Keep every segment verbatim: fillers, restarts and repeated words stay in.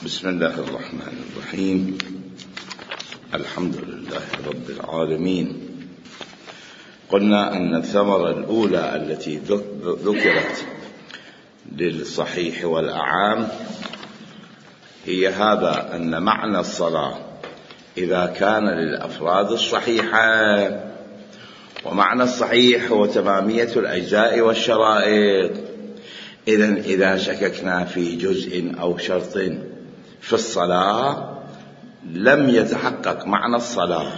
بسم الله الرحمن الرحيم. الحمد لله رب العالمين. قلنا أن الثمرة الأولى التي ذكرت للصحيح والأعام هي هذا، أن معنى الصلاة إذا كان للأفراد الصحيحة، ومعنى الصحيح هو تمامية الأجزاء والشرائط. إذن إذا شككنا في جزء أو شرط في الصلاة لم يتحقق معنى الصلاة،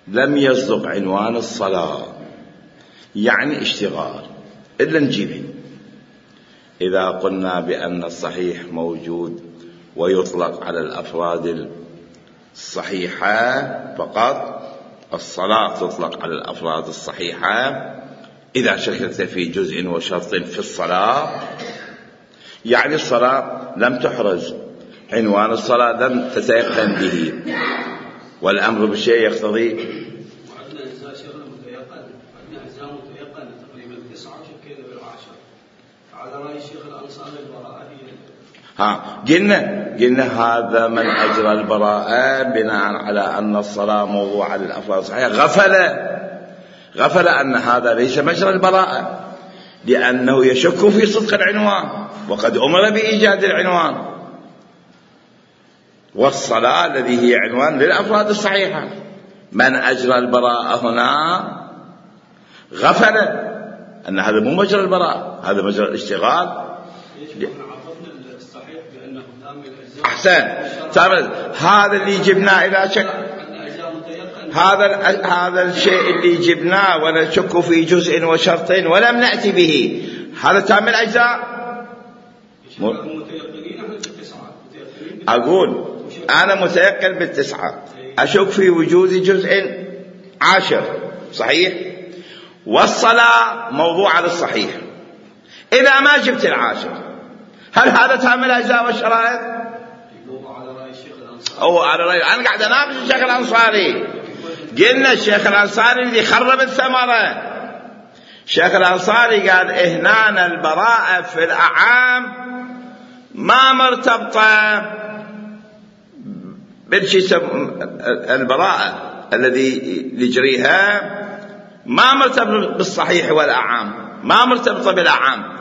لم يصدق عنوان الصلاة، يعني اشتغال، إلا نجيبه. إذا قلنا بأن الصحيح موجود ويطلق على الأفراد الصحيحة فقط، الصلاة تطلق على الأفراد الصحيحة إذا شككت في جزء وشرط في الصلاة، يعني الصلاة لم تحرز، عنوان الصلاة لم تتيقن به، والأمر بالشيء يقتضي. وعندنا أجزاء شغلة متيقنة، عندنا أجزاء متيقنة تقريبا تسعة وشكينا بالعشرة، على رأي الشيخ الأنصاري البراءة هي. ها قلنا قلنا هذا من أجرى البراءة بناء على أن الصلاة موضوع للأفراد الصحيحة، غفل غفل أن هذا ليس مجرى البراءة، لأنه يشك في صدق العنوان، وقد أمر بإيجاد العنوان، والصلاة الذي هي عنوان للأفراد الصحيحة. من أجرى البراءة هنا غفل أن هذا مو مجرى البراءة، هذا مجرى الاشتغال. أحسن، هذا اللي جبناه إذا شك، هذا هذا الشيء اللي جبناه ونشك في جزء وشرط ولم نأتي به، هذا تام الأجزاء. أقول أنا متيقن بالتسعة، أشك في وجود جزء عاشر صحيح، والصلاة موضوع على الصحيح. إذا ما جبت العاشر هل هذا تام الأجزاء والشرائط؟ أو على رأي، أنا قاعد أناقش الشيخ الأنصاري. قلنا الشيخ الأنصاري اللي خرب الثمرة. الشيخ الأنصاري قال إهنان البراءة في الأعام ما مرتبطة بالشيء، البراءة الذي يجريها ما مرتبط بالصحيح والأعام، ما مرتبطة بالأعام.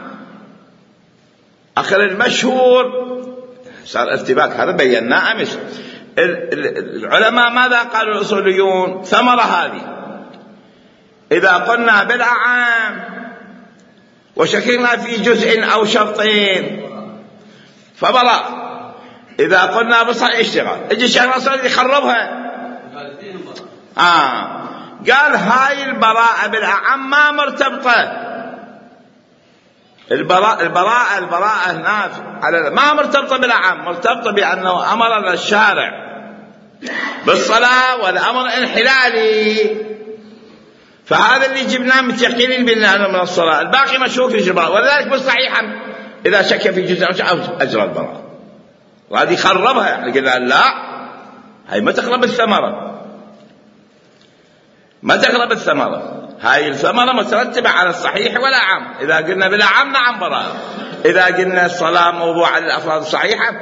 آخر المشهور صار ارتباك، هذا بيناه أمس. العلماء ماذا قالوا الأصوليون؟ ثمرة هذه إذا قلنا بالأعام وشككنا في جزء أو شرطين فبراء، إذا قلنا بصحيح اشتغال. اجي الشيخ الأنصاري يخربها، آه قال هاي البراءة بالأعام ما مرتبطة. البراءة البراءة البراءة هنا على ما مرتبطة بالأعام، مرتبطة بأنه أمرنا الشارع بالصلاة والأمر انحلالي، فهذا اللي جبناه متيقنين بالله من الصلاة، الباقي مشروك في البراءة، ولذلك بالصحيحة إذا شك في جزء أو أجرى البراءة. وهذه خربها، يعني قلنا لا، هاي ما تقرب الثمرة، ما تقرب الثمرة. هاي الثمرة مترتبة على الصحيح والأعام. إذا قلنا بالأعام نعم براءة، إذا قلنا الصلاة موضوع للأفراد الصحيحة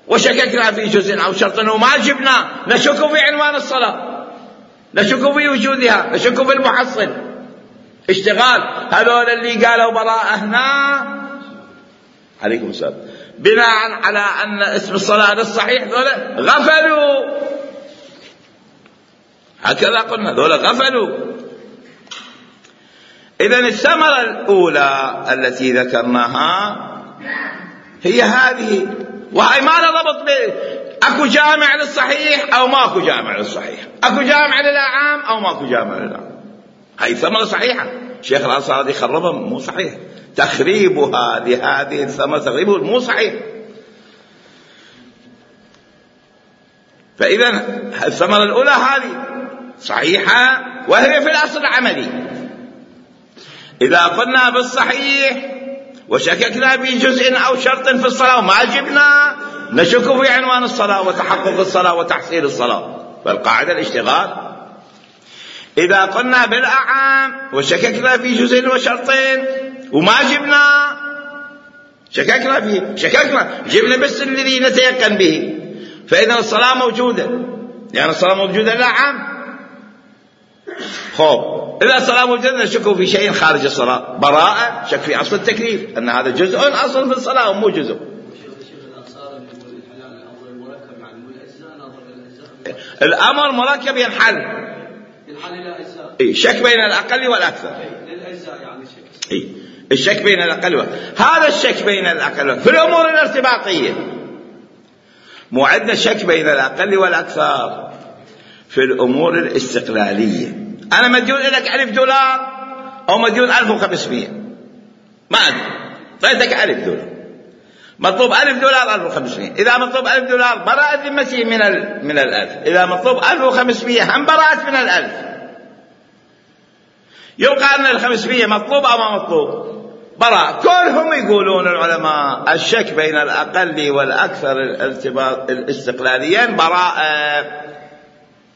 وشككنا في جزء أو شرط وما جبنا، نشك في عنوان الصلاة، نشك في وجودها، نشك في المحصل، اشتغال. هذول اللي قالوا براءة هنا عليكم السلام بناء على أن اسم الصلاة للصحيح، ذولا غفلوا، هكذا قلنا ذولا غفلوا. إذن الثمرة الأولى التي ذكرناها هي هذه، وهي ما ربط به أكو جامع للصحيح أو ماكو جامع للصحيح، أكو جامع للأعام أو ماكو جامع للأعام. هاي ثمرة صحيحة، الشيخ الأنصاري خربها مو صحيح، تخريبها لهذه الثمرة تخريبه مو صحيح. فإذا الثمرة الأولى هذه صحيحة وهي في الأصل العملي. إذا قلنا بالصحيح وشككنا في جزء أو شرط في الصلاة وما جبنا، نشك في عنوان الصلاة وتحقق الصلاة وتحصيل الصلاة، فالقاعدة الاشتغال. إذا قلنا بالأعام وشككنا في جزء وشرطين وما جبنا، شككنا فيه، شككنا جبنا بس الذي نتيقن به. فإذا الصلاة موجودة، يعني الصلاة موجودة لا عام. خوف إذا الصلاة موجودة نشك في شيء خارج الصلاة، براءة شك في أصل التكليف أن هذا جزء أصل في الصلاة ومو جزء. الأمر مركب ينحل ينحل إلى أجزاء. إيه شك بين الأقل والأكثر. للأجزاء يعني شك. إيه الشك بين الأقل والأكثر. هذا الشك بين الأقل والأكثر في الأمور الارتباطية. مو عندنا شك بين الأقل والأكثر في الأمور الاستقلالية. أنا مديون لك ألف دولار أو مديون ألف وخمسمائة، ما أدري، طيتك ألف دولار، مطلوب ألف دولار ألف وخمسمائة. إذا مطلوب ألف دولار براءة ذمتي من ال... من الألف. إذا مطلوب ألف وخمسمائة هم براءة من الألف. يبقى أن الخمسمائة مطلوب أو ما مطلوب؟ براءة. كلهم يقولون العلماء الشك بين الأقل والأكثر الارتباط الاستقلاليين براءة.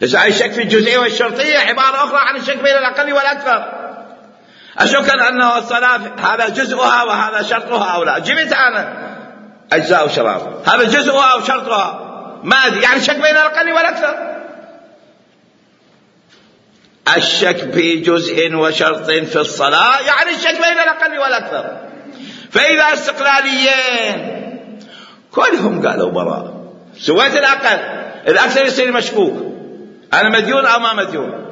بس أي شك في الجزئية والشرطية عبارة أخرى عن الشك بين الأقل والأكثر. أشك أنه الصلاة هذا جزءها وهذا شرطها أو لا. جبت أنا أجزاء وشرار، هذا جزءها أو شرطها ما أدري، يعني شك بين الأقل والأكثر. الشك في جزء وشرط في الصلاة يعني الشك بين الأقل والأكثر. فإذا استقلاليين كلهم قالوا براء، سويت الأقل الأكثر يصير مشكوك، أنا مديون أو ما مديون.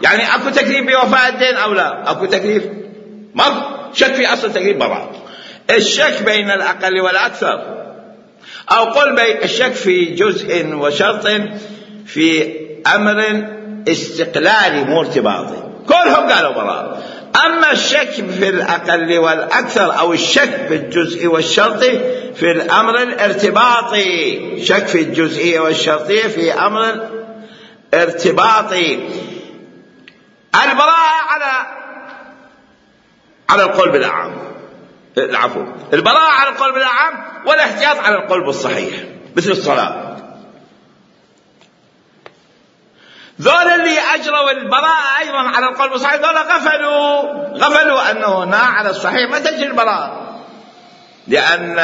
يعني أكو تكليف بوفاء الدين أو لا؟ أكو تكليف، ما شك في أصل تكليف براء. الشك بين الأقل والأكثر، أو قل بين الشك في جزء وشرط في أمر استقلالي مو ارتباطي، كلهم قالوا براء. أما الشك في الأقل والأكثر أو الشك في الجزء والشرط في الأمر الارتباطي، شك في الجزئية والشرطية في أمر ارتباطي، البراءة على على القول بالأعم، العفو البراءة على القول بالأعم والاحتياط على القول بالصحيح مثل الصلاة. ذول اللي أجروا البراءة أيضا على القول بالصحيح ذول غفلوا غفلوا أنه هنا على الصحيح ما تجري البراءة، لأن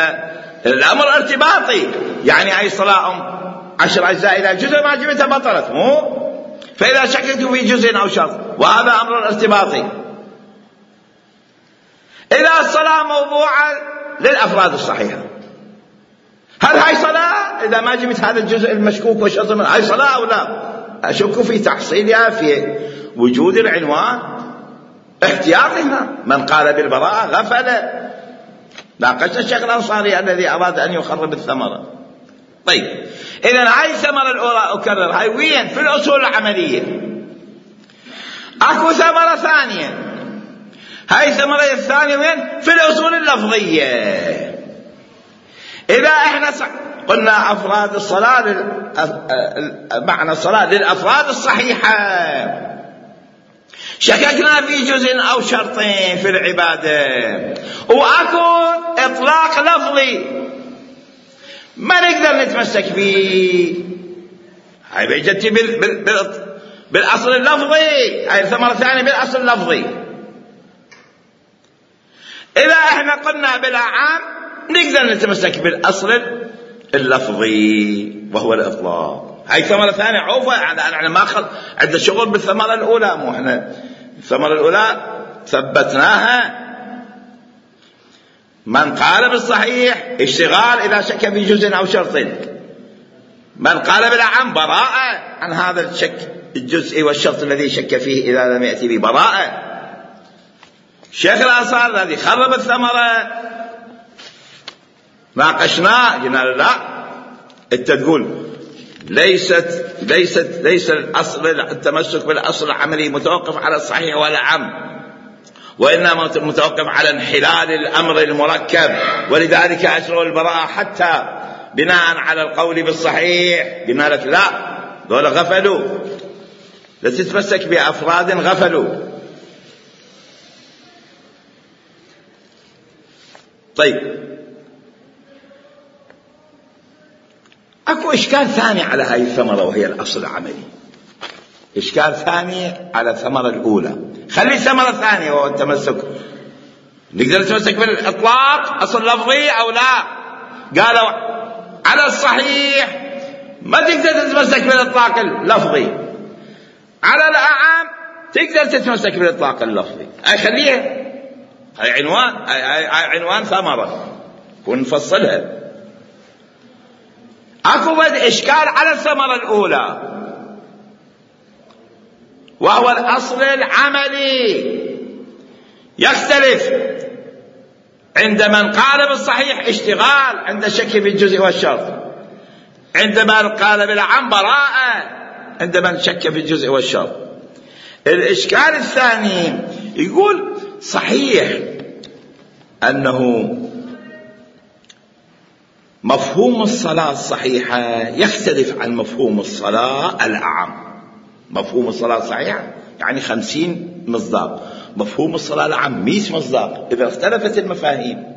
الأمر ارتباطي. يعني أي صلاة عشر أجزاء إلى جزء ما جبتها بطلت، مو فإذا شككت في جزء أو شرط، وهذا أمر ارتباطي. إذا الصلاة موضوعة للأفراد الصحيحة، هل هاي صلاة؟ إذا ما جبت هذا الجزء المشكوك والشرط هاي صلاة أو لا؟ أشك في تحصيلها في وجود العنوان، احتياطها. من قال بالبراءة غفل. ناقشت الشيخ الأنصاري الذي أراد أن يخرب الثمرة. طيب إذن هاي الثمرة الأولى أكرر، هاي وين؟ في الأصول العملية. أكو ثمرة ثانية، هاي الثمرة الثانية وين؟ في الأصول اللفظية. إذا إحنا قلنا أفراد الصلاة لل... معنى الصلاة للأفراد الصحيحة، شككنا في جزء أو شرطين في العبادة، وأكو إطلاق لفظي ما نقدر نتمسك به، هاي بيجتي بال... بال... بال... بالأصل اللفظي، هاي الثمرة الثانية بالأصل اللفظي. إذا إحنا قلنا بالأعام نقدر نتمسك بالأصل اللفظي وهو الإطلاق. هاي ثمرة ثانية عوفة، يعني ما خل عند شغل بالثمرة الأولى، مو إحنا الثمرة الأولى ثبتناها. من قال بالصحيح اشتغال إذا شك في جزء أو شرط، من قال بالأعم براءة عن هذا الشك الجزء والشرط الذي شك فيه إذا لم يأتي ببراءة. الشيخ الأنصاري الذي خرب الثمرة ناقشناه، قلنا لا انت تقول ليست ليست ليس الاصل التمسك بالاصل العملي متوقف على الصحيح والأعم، وانما متوقف على انحلال الامر المركب، ولذلك اجروا البراءه حتى بناء على القول بالصحيح. قلنا لك لا، دول غفلوا، لا تتمسك بافراد غفلوا. طيب اكو اشكال ثاني على هاي الثمرة وهي الاصل العملي، اشكال ثاني على الثمرة الاولى. خلي الثمرة الثانية وهو التمسك نقدر نتمسك بالإطلاق أصل لفظي أو لا؟ قالوا على الصحيح ما تقدر تتمسك بالإطلاق اللفظي، على الأعم تقدر تتمسك بالإطلاق اللفظي. أي خليها، هاي عنوان، هاي عنوان ثمرة ونفصلها. أكو بد إشكال على الثمرة الأولى، وهو الأصل العملي يختلف عند من قال بالصحيح اشتغال عند الشك في الجزء والشرط، عند من قال بالعم براءة عند من شك في الجزء والشرط. الإشكال الثاني يقول صحيح أنه مفهوم الصلاة الصحيحة يختلف عن مفهوم الصلاة الأعم. مفهوم الصلاة الصحيحة يعني خمسين مصداق، مفهوم الصلاة الأعم مئة مصداق. إذا اختلفت المفاهيم،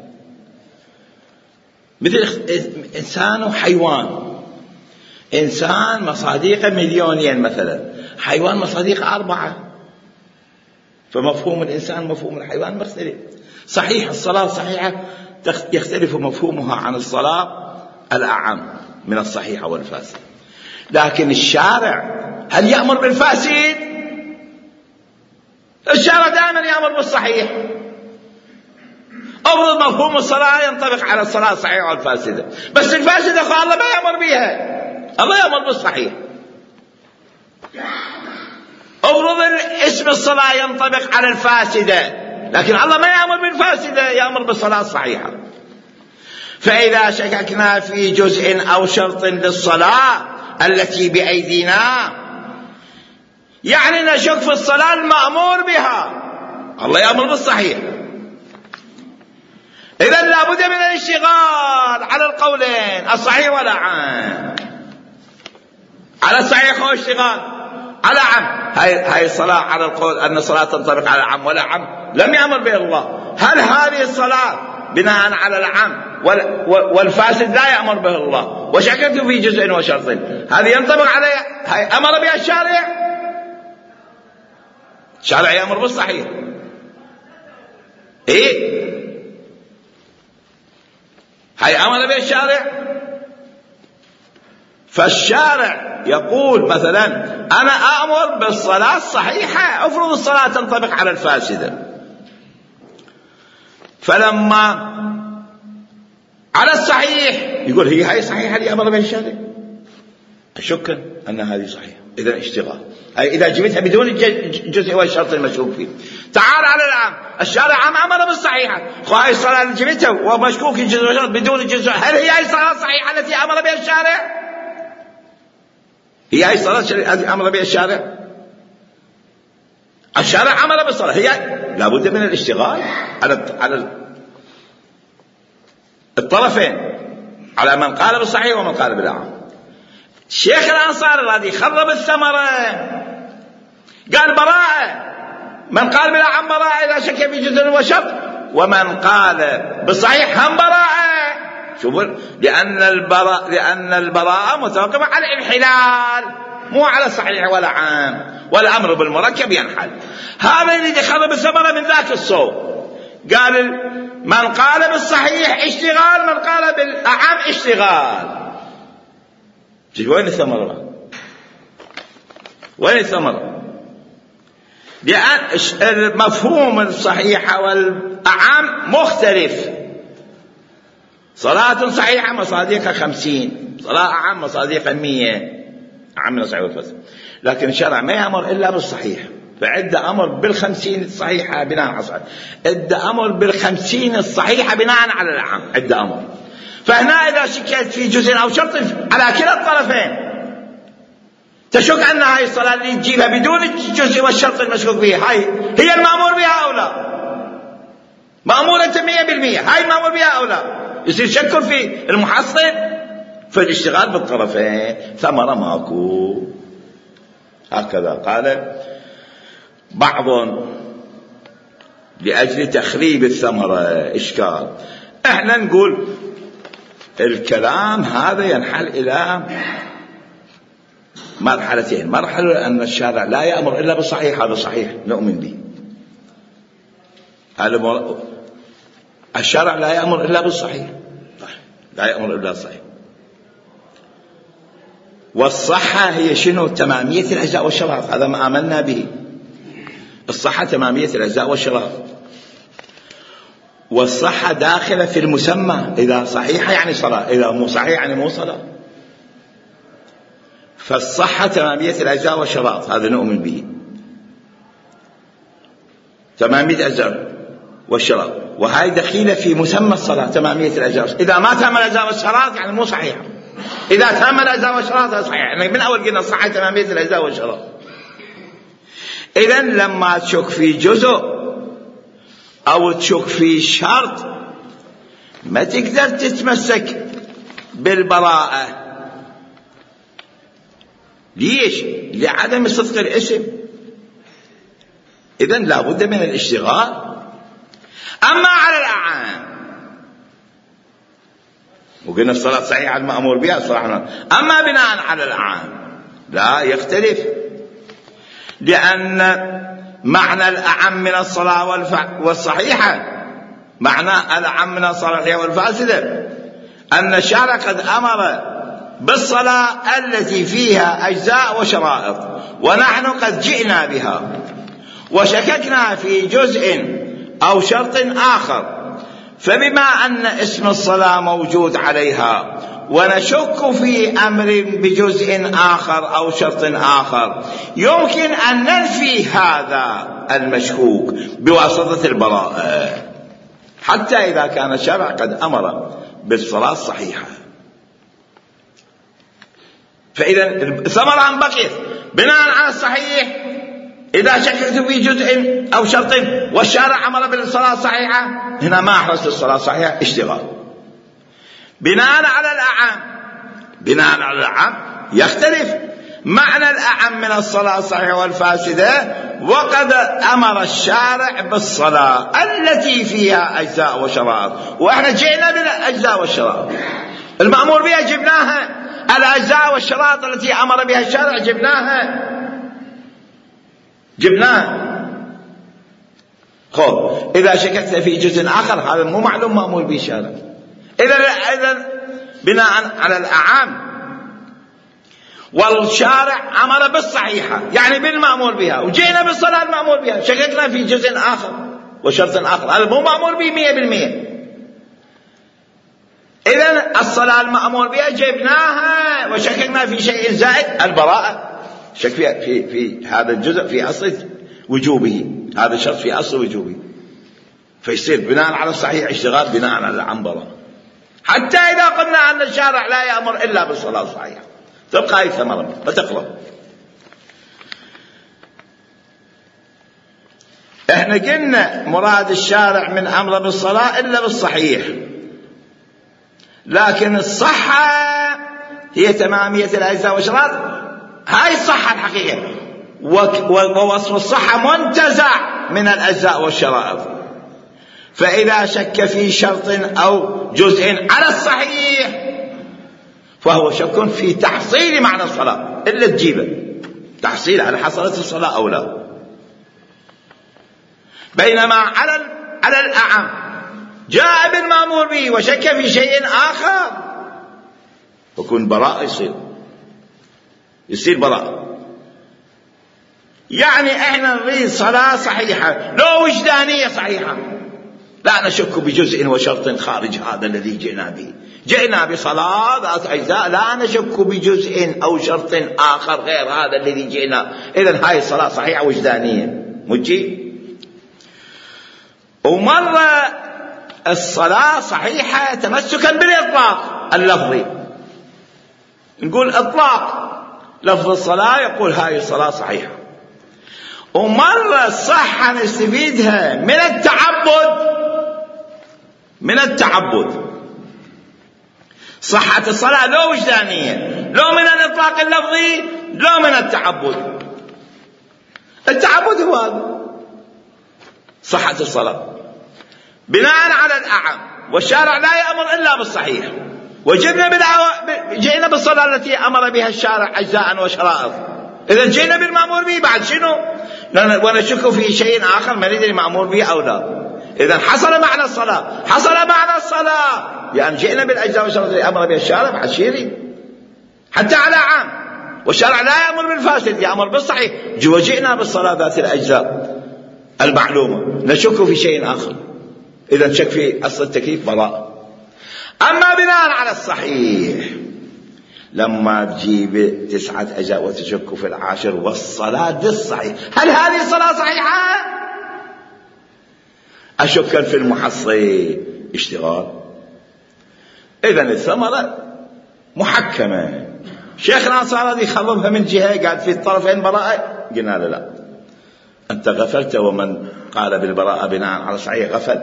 مثل إنسان وحيوان، إنسان مصاديقه مليونين مثلا، حيوان مصاديقه أربعة، فمفهوم الإنسان مفهوم الحيوان مختلف. صحيح الصلاة الصحيحة يختلف مفهومها عن الصلاة الأعم من الصحيحة والفاسد. لكن الشارع هل يأمر بالفاسد؟ الشارع دائما يأمر بالصحيح. أفرض مفهوم الصلاة ينطبق على الصلاة الصحيحة والفاسدة، بس الفاسدة الله ما يأمر بها، الله يأمر بالصحيح. أفرض اسم الصلاة ينطبق على الفاسدة، لكن الله ما يأمر بالفاسدة، يأمر بالصلاة الصحيحة. فإذا شككنا في جزء أو شرط للصلاة التي بأيدينا، يعني نشك في الصلاة المأمور بها، الله يأمر بالصحيح. إذن لابد من الاشتغال على القولين، الصحيح والأعم. على الصحيح هو اشتغال، على عم. هاي هاي الصلاة على القول أن الصلاة تنطبق على عم ولا عم لم يأمر به الله. هل هذه الصلاة بناء على العم والفاسد لا يأمر به الله وشككت في جزء وشرط، هذه ينطبق عليها، هاي أمر بها الشارع. الشارع يأمر بالصحيح، إيه هاي أمر بها الشارع. فالشارع يقول مثلا أنا أأمر بالصلاة الصحيحة، أفرض الصلاة تنطبق على الفاسدة، فلما على الصحيح يقول هي هاي صحيحة اللي أمر بها الشارع، أشك أن هذه صحيحة، إذا اشتغال. أي إذا جبتها بدون الجزء والشرط المشكوك فيه. تعال على العام، الشارع عام أمر بالصحيحة، هاي الصلاة اللي جبتها ومشكوك الجزء والشرط بدون الجزء، هل هي هاي الصلاة الصحيحة التي أمر بها الشارع؟ هي هاي الصلاة التي أمر بها الشارع؟ الشارع أمر بالصلاة، هي لابد من الاشتغال على على الطرفين، على من قال بالصحيح ومن قال بالأعم. الشيخ الأنصاري الذي خرب الثمرة قال براءة، من قال بالأعم براءة إذا شك في جزء وشرط، ومن قال بالصحيح هم براءة. شوفوا، لأن البراءة لأن البراءة متوقفة على الانحلال، مو على الصحيح ولا عام، والأمر بالمركب ينحل. هذا اللي خرب الثمرة من ذاك الصوب. قال من قال بالصحيح اشتغال، من قال بالأعم اشتغال. وين الثمرة؟ وين الثمرة؟ لأن مفهوم الصحيحة والأعم مختلف. صلاة صحيحة مصاديقها خمسين، صلاة أعم مصاديقها مية، أعم من الصحيح والفاسد. لكن الشرع ما يأمر إلا بالصحيح، فعد أمر بالخمسين الصحيحة بناء على الصحيح، عد أمر بالخمسين الصحيحة بناء على الأعم، عد أمر. فهنا إذا شكيت في جزء أو شرط على كلا الطرفين، تشك أن هاي الصلاة اللي تجيبها بدون الجزء والشرط المشكوك فيها هاي هي المأمور بها أو لا؟ مأمورة مية بالمية، هاي المأمور بها أو لا؟ يصير شك في المحصل، فالاشتغال بالطرفين ثمرة ماكو. هكذا قال بعض لأجل تخريب الثمرة إشكال. احنا نقول الكلام هذا ينحل إلى مرحلتين. مرحلة أن الشارع لا يأمر إلا بالصحيح، هذا صحيح نؤمن به، هذا الشرع لا يأمر إلا بالصحيح، لا يأمر إلا بالصحيح. والصحة هي شنو؟ تمامية الأجزاء والشرائط، هذا ما آمنا به. الصحة تمامية الأجزاء والشرائط، والصحة داخلة في المسمى، إذا صحيحة يعني صلاة، إذا مو صحيح يعني مو صلاة. فالصحة تمامية الأجزاء والشرائط، هذا نؤمن به، تمامية الأجزاء والشرائط، وهي دخيلة في مسمى الصلاة تمامية الأجزاء. إذا ما تم الأجزاء والشرائط يعني مو صحيحة، إذا تم الأجزاء والشرائط صحيح. يعني من أول قلنا الصحة تمامية الأجزاء والشرائط. إذن لما تشك في جزء أو تشك في شرط ما تقدر تتمسك بالبراءة. ليش؟ لعدم صدق الاسم. إذن لا بد من الاشتغال. أما على الأعام، وقلنا الصلاة صحيحة المأمور بها صراحة. أما بناء على الأعام لا يختلف، لأن معنى الأعم من الصلاة والصحيحة، معنى الأعم من الصلاة والفاسدة، أن الشرع قد أمر بالصلاة التي فيها أجزاء وشرائط، ونحن قد جئنا بها وشككنا في جزء أو شرط آخر، فبما أن اسم الصلاة موجود عليها ونشك في أمر بجزء آخر أو شرط آخر، يمكن أن ننفي هذا المشكوك بواسطة البراءة، حتى إذا كان الشرع قد أمر بالصلاة الصحيحة. فإذا الثمرة أن بقيت بناء على الصحيح. إذا شككت في جزء أو شرط والشارع أمر بالصلاة الصحيحة، هنا ما أحرصت الصلاة الصحيحة، اشتغال. بناء على الأعم، بناء على الأعم يختلف معنى الأعم من الصلاة الصحيحة والفاسدة، وقد أمر الشارع بالصلاة التي فيها أجزاء وشرائط، وإحنا جئنا بالأجزاء والشرائط المأمور بها، جبناها. الأجزاء والشرائط التي أمر بها الشارع جبناها جبناها خب إذا شككت في جزء آخر هذا مو معلوم مأمور به الشارع. إذا إذا بناء على الأعام، والشارع أمر بالصحيحة يعني بالمأمور بها، وجينا بالصلاة المأمور بها، شككنا في جزء آخر وشرط آخر، هذا مو مأمور به مية بالمية. إذن الصلاة المأمور بها جبناها وشككنا في شيء زائد، البراءة شك في, في, في هذا الجزء في أصل وجوبه، هذا الشرط في أصل وجوبه، فيصير بناء على الصحيح اشتغال بناء على العنبرة. حتى إذا قلنا أن الشارع لا يأمر إلا بالصلاة الصحيحة تبقى هذه ثمرة ما تقلب. احنا قلنا مراد الشارع من أمر بالصلاة إلا بالصحيح، لكن الصحة هي تمامية الأجزاء والشرائط، هاي الصحة الحقيقية، ووصف الصحة منتزع من الأجزاء والشرائط. فإذا شك في شرط أو جزء على الصحيح فهو شك في تحصيل معنى الصلاة، إلا تجيبه تحصيل على حصلت الصلاة أو لا. بينما على على الأعم جاء بالمأمور به وشك في شيء آخر يكون براء، يصير يصير براء. يعني احنا نريد صلاة صحيحة لو وجدانية صحيحة، لا نشك بجزء وشرط خارج هذا الذي جئنا به. جئنا بصلاة ذات أجزاء، لا نشك بجزء أو شرط آخر غير هذا الذي جئنا. إذن هاي الصلاة صحيحة وجدانية مجي. ومرة الصلاة صحيحة تمسكا بالإطلاق اللفظي، نقول إطلاق لفظ الصلاة يقول هاي الصلاة صحيحة. ومرة الصحة نستفيدها من التعبد، من التعبد صحة الصلاة لو وجدانية، لو من الإطلاق اللفظي، لو من التعبد. التعبد هو صحة الصلاة بناء على الأعم، والشارع لا يأمر إلا بالصحيح، وجئنا جئنا بالصلاة التي أمر بها الشارع أجزاء وشرائط. إذا جئنا بالمأمور به بعد شنو؟ ونشك في شيء آخر ما ندري مأمور به أو لا. إذن حصل معنى الصلاة، حصل معنى الصلاة لأن جئنا بالأجزاء والشرط التي أمر بها الشارع عشيري حتى على عام، والشرع لا يأمر بالفاسد يأمر بالصحيح. وجئنا بالصلاة ذات الأجزاء المعلومة، نشك في شيء آخر، إذن شك في أصل التكليف براءة. أما بناء على الصحيح لما تجيب تسعة أجزاء وتشك في العاشر والصلاة بالصحيح، هل هذه الصلاة صحيحة؟ أشك في المحصي اشتغال. إذن الثمرة محكمة. شيخ الأنصار الذي خضبها من جهة قال في الطرفين براءة، قلنا له لا، أنت غفلت، ومن قال بالبراءة بناء على صحيح غفل.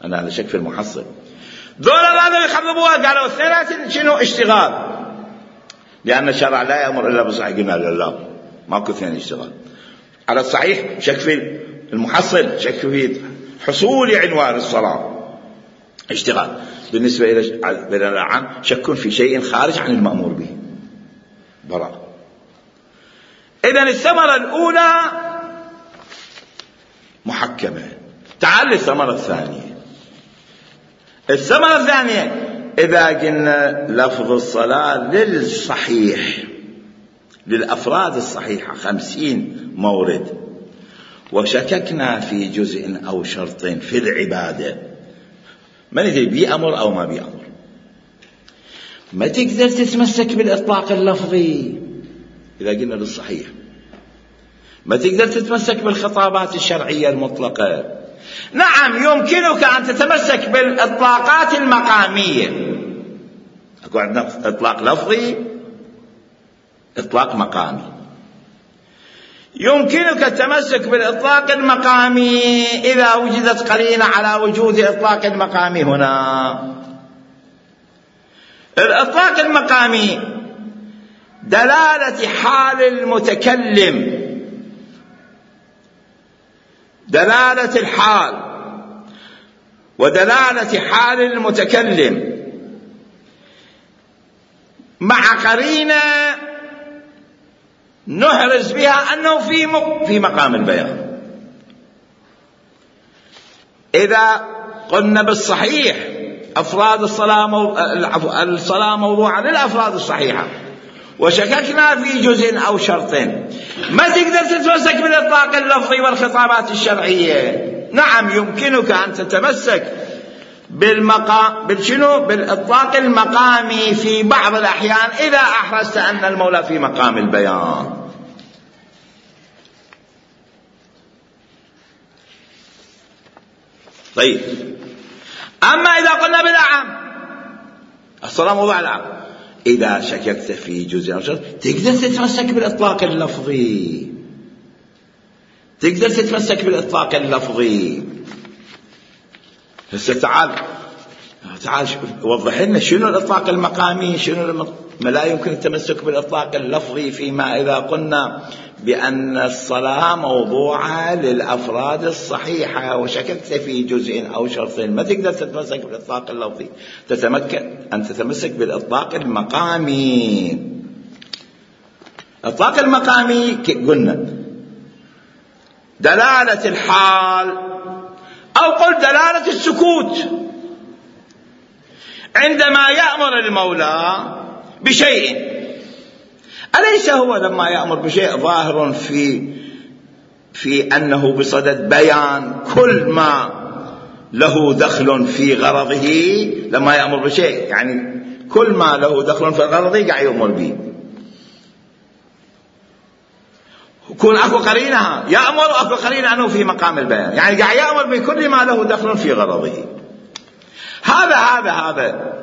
أنا لا شك في المحصل. دول هذا يخضبوها قالوا اثنين شنو اشتغال، لأن الشرع لا يأمر إلا بالصحيح. قلنا له لا، ماكو اثنين اشتغال. على الصحيح شك في المحصل، شك في حصول عنوان الصلاة اشتغال. بالنسبة إلى العام شك في شيء خارج عن المأمور به براء. إذن الثمرة الأولى محكمة. تعال للثمرة الثانية. الثمرة الثانية إذا قلنا لفظ الصلاة للصحيح للأفراد الصحيحة خمسين مورد، وشككنا في جزء أو شرط في العبادة، ما ندري بيأمر أو ما بيأمر، ما تقدر تتمسك بالإطلاق اللفظي. إذا قلنا للصحيح ما تقدر تتمسك بالخطابات الشرعية المطلقة. نعم يمكنك أن تتمسك بالإطلاقات المقامية، أكو عندنا إطلاق لفظي إطلاق مقامي. يمكنك التمسك بالإطلاق المقامي إذا وجدت قرينة على وجود إطلاق المقامي. هنا الإطلاق المقامي دلالة حال المتكلم، دلالة الحال ودلالة حال المتكلم مع قرينة نحرز بها أنه في في مقام البيان. إذا قلنا بالصحيح أفراد الصلاة مو... الصلاة موضوعة للأفراد الصحيحة، وشككنا في جزء أو شرط، ما تقدر تتمسك بالإطلاق اللفظي والخطابات الشرعية. نعم يمكنك أن تتمسك بالمقام بالشنو بالإطلاق المقامي في بعض الأحيان إذا أحرزت أن المولى في مقام البيان. طيب، أما إذا قلنا بالأعم الصلاة موضوع الأعم، إذا شككت في جزء أو شرط تقدر تتمسك بالإطلاق اللفظي، تقدر تتمسك بالإطلاق اللفظي. هسه تعال تعال وضح لنا شنو الإطلاق المقامي، شنو الم... ما لا يمكن التمسك بالإطلاق اللفظي فيما إذا قلنا بأن الصلاة موضوعة للأفراد الصحيحة وشككت في جزء أو شرط، ما تقدر تتمسك بالإطلاق اللفظي، تتمكن أن تتمسك بالإطلاق المقامي. الإطلاق المقامي قلنا دلالة الحال أو قل دلالة السكوت. عندما يأمر المولى بشيء، أليس هو لما يأمر بشيء ظاهر في في أنه بصدد بيان كل ما له دخل في غرضه؟ لما يأمر بشيء يعني كل ما له دخل في غرضه قاعد يأمر به. يكون أكو قرينها يأمر، أكو قرينة أنه في مقام البيان، يعني قاعد يأمر بكل ما له دخل في غرضه. هذا هذا هذا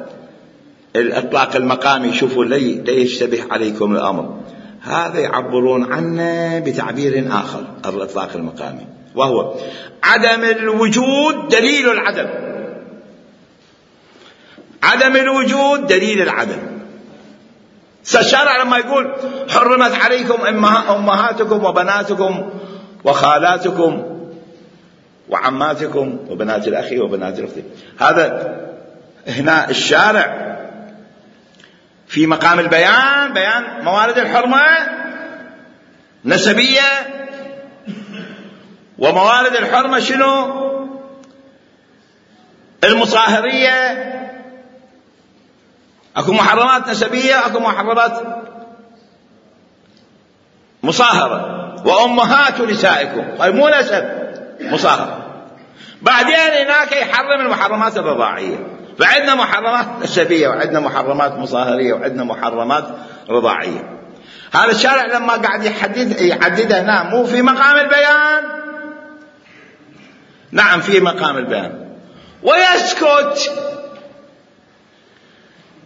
الإطلاق المقامي. شوفوا لي لي يشتبه عليكم الأمر، هذا يعبرون عنه بتعبير آخر الإطلاق المقامي، وهو عدم الوجود دليل العدم. عدم الوجود دليل العدم. الشارع لما يقول حرمت عليكم أمهاتكم وبناتكم وخالاتكم وعماتكم وبنات الأخ وبنات الأخت، هذا هنا الشارع في مقام البيان، بيان موارد الحرمة نسبية، وموارد الحرمة شنو المصاهرية اكو محرمات نسبية، اكو محرمات مصاهرة. وأمهات نسائكم، أي مو نسب، مصاهرة. بعدين هناك يحرم المحرمات الرضاعية، فعندنا محرمات نسبية وعندنا محرمات مصاهرية وعندنا محرمات رضاعية. هذا الشارع لما قاعد يحدد يحددها هنا مو في مقام البيان، نعم في مقام البيان، ويسكت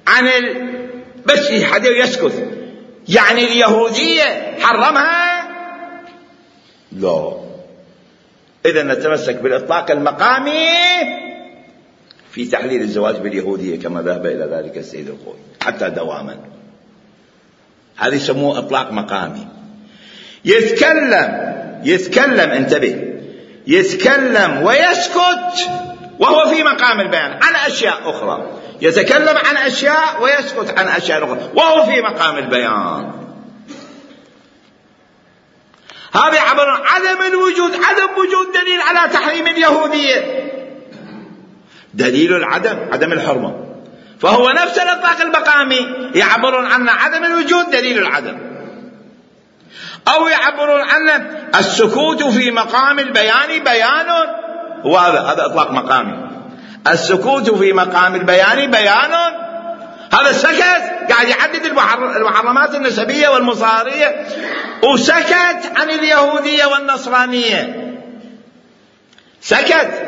عن ال... بس يحدد يسكت. يعني اليهودية حرمها؟ لا. إذا نتمسك بالإطلاق المقامي في تحليل الزواج باليهودية كما ذهب إلى ذلك السيد الخوي حتى دواما. هذا يسموه إطلاق مقامي. يتكلم يتكلم انتبه يتكلم ويسكت وهو في مقام البيان عن أشياء أخرى، يتكلم عن أشياء ويسكت عن أشياء أخرى وهو في مقام البيان. هذا يعبر عن عدم الوجود، عدم وجود دليل على تحريم اليهودية. دليل العدم عدم الحرمة، فهو نفس الإطلاق المقامي يعبرون عن عدم الوجود دليل العدم، أو يعبرون عن السكوت في مقام البيان بيان، هو هذا هذا إطلاق مقامي. السكوت في مقام البيان بيان، هذا سكت قاعد يحدد المحرمات النسبية والمصاهرية وسكت عن اليهودية والنصرانية، سكت.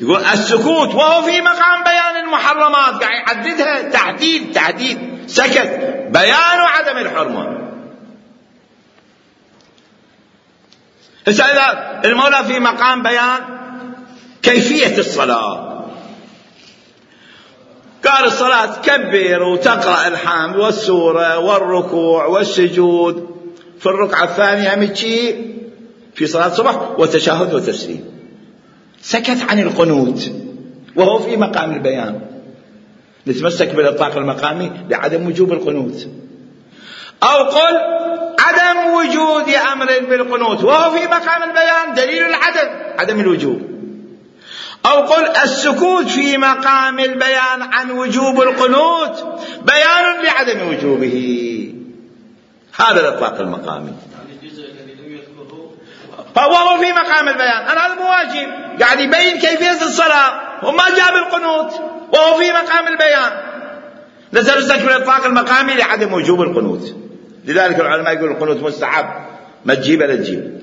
يقول السكوت وهو في مقام بيان المحرمات، قاعد يحددها تحديد تحديد سكت بيان عدم الحرمة. هسه إذا المولى في مقام بيان كيفية الصلاة، قال الصلاة تكبر وتقرأ الحمد والسورة والركوع والسجود في الركعة الثانية متشي في صلاة الصبح وتشهد وتسليم. سكت عن القنوت وهو في مقام البيان. نتمسك بالإطلاق المقامي لعدم وجوب القنوت، أو قل عدم وجود أمر بالقنوت وهو في مقام البيان دليل العدم عدم الوجوب، أو قل السكوت في مقام البيان عن وجوب القنوت بيان لعدم وجوبه. هذا الإطلاق المقامي. فهو في مقام البيان، أنا هذا مواجب قاعد يبين كيفية الصلاة وما جاب القنوت وهو في مقام البيان. نتمسك بالإطلاق المقامي لعدم وجوب القنوت. لذلك العلماء يقولون القنوت مستحب، ما تجيب لا تجيب.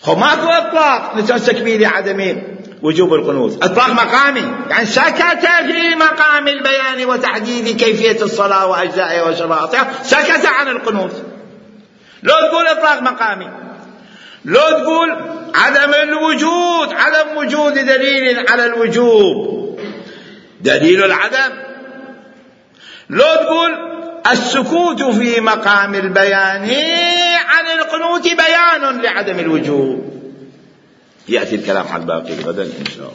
هو ماكو إطلاق نتمسك به لعدم وجوب القنوت، إطلاق مقامي يعني سكت في مقام البيان وتحديد كيفية الصلاة وأجزائها وشرائطها، سكت عن القنوت. لو تقول إطلاق مقامي، لو تقول عدم الوجود عدم وجود دليل على الوجوب دليل العدم، لو تقول السكوت في مقام البيان عن القنوت بيان لعدم الوجوب. يأتي الكلام عن باقي غدا إن شاء الله.